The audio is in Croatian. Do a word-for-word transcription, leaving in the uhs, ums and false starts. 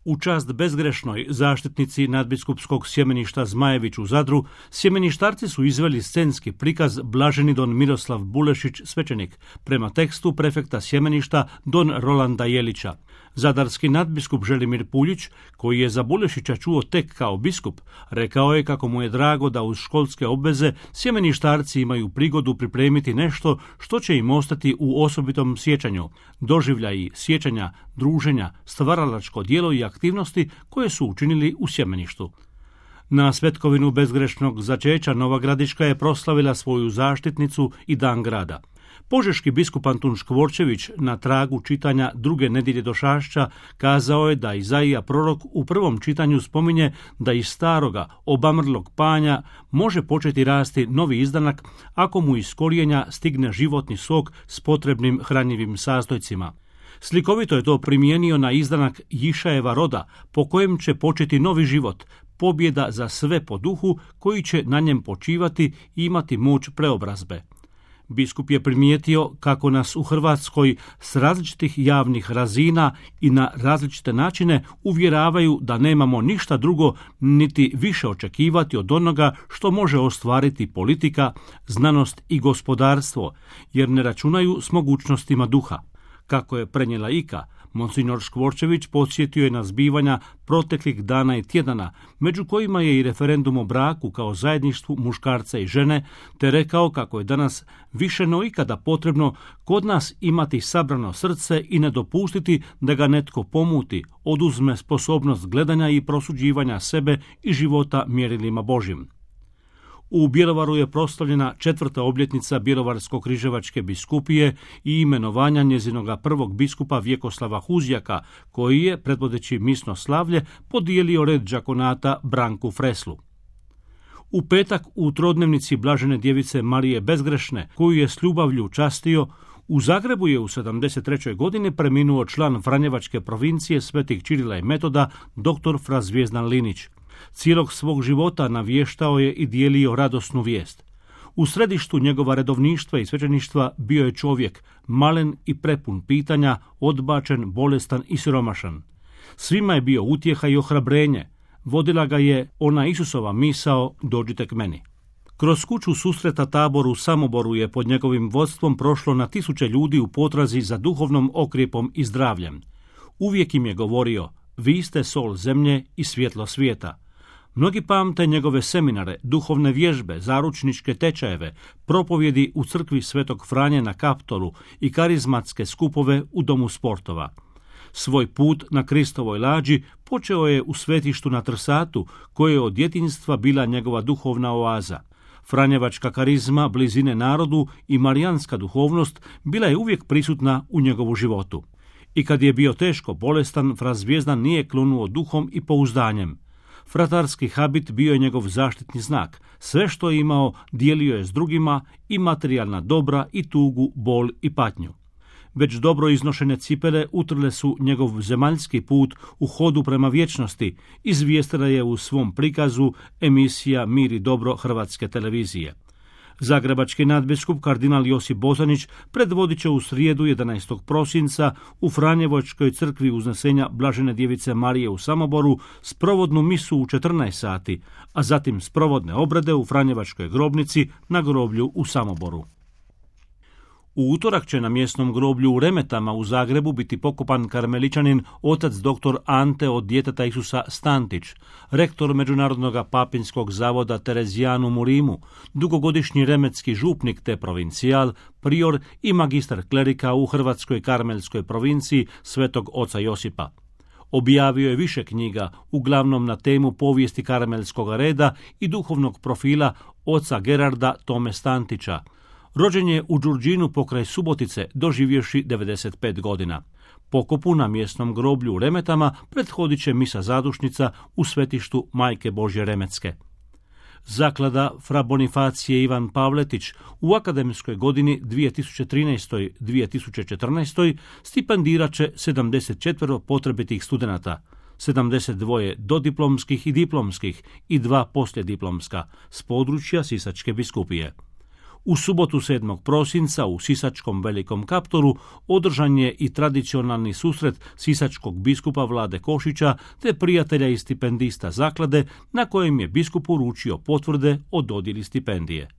U čast bezgrešnoj zaštitnici nadbiskupskog sjemeništa Zmajević u Zadru, sjemeništarci su izveli scenski prikaz Blaženi don Miroslav Bulešić, svećenik, prema tekstu prefekta sjemeništa don Rolanda Jelića. Zadarski nadbiskup Želimir Puljić, koji je za Bulešića čuo tek kao biskup, rekao je kako mu je drago da uz školske obveze sjemeništarci imaju prigodu pripremiti nešto što će im ostati u osobitom sjećanju, doživljaji sjećanja, druženja, stvaralačko djelo i aktivnosti koje su učinili u sjemeništu. Na svetkovinu bezgrešnog začeća Nova Gradiška je proslavila svoju zaštitnicu i dan grada. Požeški biskup Antun Škvorčević na tragu čitanja druge nedjelje Došašća kazao je da Izaija prorok u prvom čitanju spominje da iz staroga obamrlog panja može početi rasti novi izdanak ako mu iz korijenja stigne životni sok s potrebnim hranjivim sastojcima. Slikovito je to primijenio na izdanak Jišajeva roda po kojem će početi novi život, pobjeda za sve po duhu koji će na njem počivati i imati moć preobrazbe. Biskup je primijetio kako nas u Hrvatskoj s različitih javnih razina i na različite načine uvjeravaju da nemamo ništa drugo niti više očekivati od onoga što može ostvariti politika, znanost i gospodarstvo, jer ne računaju s mogućnostima duha. Kako je prenijela Ika, Monsignor Škvorčević podsjetio je na zbivanja proteklih dana i tjedana, među kojima je i referendum o braku kao zajedništvu muškarca i žene, te rekao kako je danas više no ikada potrebno kod nas imati sabrano srce i ne dopustiti da ga netko pomuti, oduzme sposobnost gledanja i prosuđivanja sebe i života mjerilima Božjim. U Bjelovaru je proslavljena četvrta obljetnica Bjelovarsko-križevačke biskupije i imenovanja njezinoga prvog biskupa Vjekoslava Huzjaka, koji je, predvodeći misno slavlje, podijelio red đakonata Branku Freslu. U petak u trodnevnici Blažene djevice Marije Bezgrešne, koju je s ljubavlju častio, u Zagrebu je u sedamdeset trećoj godini preminuo član Franjevačke provincije Svetih Čirila i Metoda, dr. fra Zvijezdan Linić. Cijelog svog života navještao je i dijelio radosnu vijest. U središtu njegova redovništva i svećeništva bio je čovjek, malen i prepun pitanja, odbačen, bolestan i siromašan. Svima je bio utjeha i ohrabrenje. Vodila ga je ona Isusova misao, dođite k meni. Kroz kuću susreta Tabor u Samoboru je pod njegovim vodstvom prošlo na tisuće ljudi u potrazi za duhovnom okrijepom i zdravljem. Uvijek im je govorio, vi ste sol zemlje i svjetlo svijeta. Mnogi pamte njegove seminare, duhovne vježbe, zaručničke tečajeve, propovjedi u crkvi Svetog Franje na Kaptolu i karizmatske skupove u Domu sportova. Svoj put na Kristovoj lađi počeo je u svetištu na Trsatu, koje je od djetinjstva bila njegova duhovna oaza. Franjevačka karizma, blizine narodu i marijanska duhovnost bila je uvijek prisutna u njegovu životu. I kad je bio teško bolestan, fra Zvijezdan nije klonuo duhom i pouzdanjem. Fratarski habit bio je njegov zaštitni znak. Sve što je imao dijelio je s drugima, i materijalna dobra, i tugu, bol i patnju. Već dobro iznošene cipele utrle su njegov zemaljski put u hodu prema vječnosti, izvijestila je u svom prikazu emisija Mir i dobro Hrvatske televizije. Zagrebački nadbiskup kardinal Josip Bozanić predvodit će u srijedu jedanaestog prosinca u Franjevačkoj crkvi Uznesenja Blažene djevice Marije u Samoboru sprovodnu misu u četrnaest sati, a zatim sprovodne obrede u Franjevačkoj grobnici na groblju u Samoboru. U utorak će na mjesnom groblju u Remetama u Zagrebu biti pokopan karmeličanin otac dr. Ante od djeteta Isusa Stantić, rektor Međunarodnog papinskog zavoda Terezijanum u Rimu, dugogodišnji remetski župnik te provincijal, prior i magistar klerika u Hrvatskoj karmelskoj provinciji Svetog oca Josipa. Objavio je više knjiga, uglavnom na temu povijesti karmelskog reda i duhovnog profila oca Gerarda Tome Stantića. Rođen je u Đurđinu pokraj Subotice, doživjevši devedeset pet godina. Pokopu na mjesnom groblju u Remetama prethodit će misa zadušnica u svetištu Majke Božje Remetske. Zaklada fra Bonifacije Ivan Pavletić u akademskoj godini dvije tisuće trinaest dvije tisuće četrnaest stipendirat će sedamdeset četiri potrebitih studenata, sedamdeset dva dodiplomskih i diplomskih i dva poslijediplomska s područja Sisačke biskupije. U subotu sedmog prosinca u sisačkom Velikom Kaptolu održan je i tradicionalni susret sisačkog biskupa Vlade Košića te prijatelja i stipendista zaklade, na kojem je biskup uručio potvrde o dodjeli stipendije.